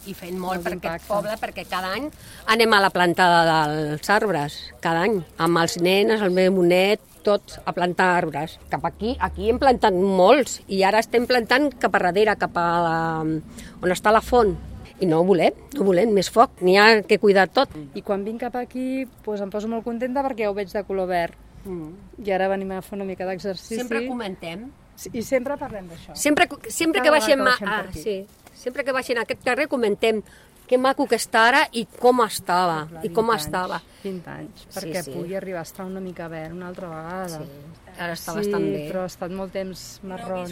i fent molt per aquest d'impacte. poble, perquè cada any anem a la plantada dels arbres, cada any, amb els nens, el meu net, tots a plantar arbres. Cap aquí hem plantat molts, i ara estem plantant cap a darrere, cap a on està la font. I no volem més foc, n'hi ha que cuidar tot. I quan vinc cap aquí doncs em poso molt contenta perquè ja ho veig de color verd. I ara venim a fer una mica d'exercici. Sempre comentem. I sempre parlem d'això. Sempre que baixem per aquí. sempre que baixem a aquest carrer comentem que maco que està ara i com estava. Clar, I com 20 anys, estava. 20 anys, perquè pugui arribar a estar una mica verd una altra vegada. Sí, ara està bastant bé. Sí, però ha estat molt temps marrón.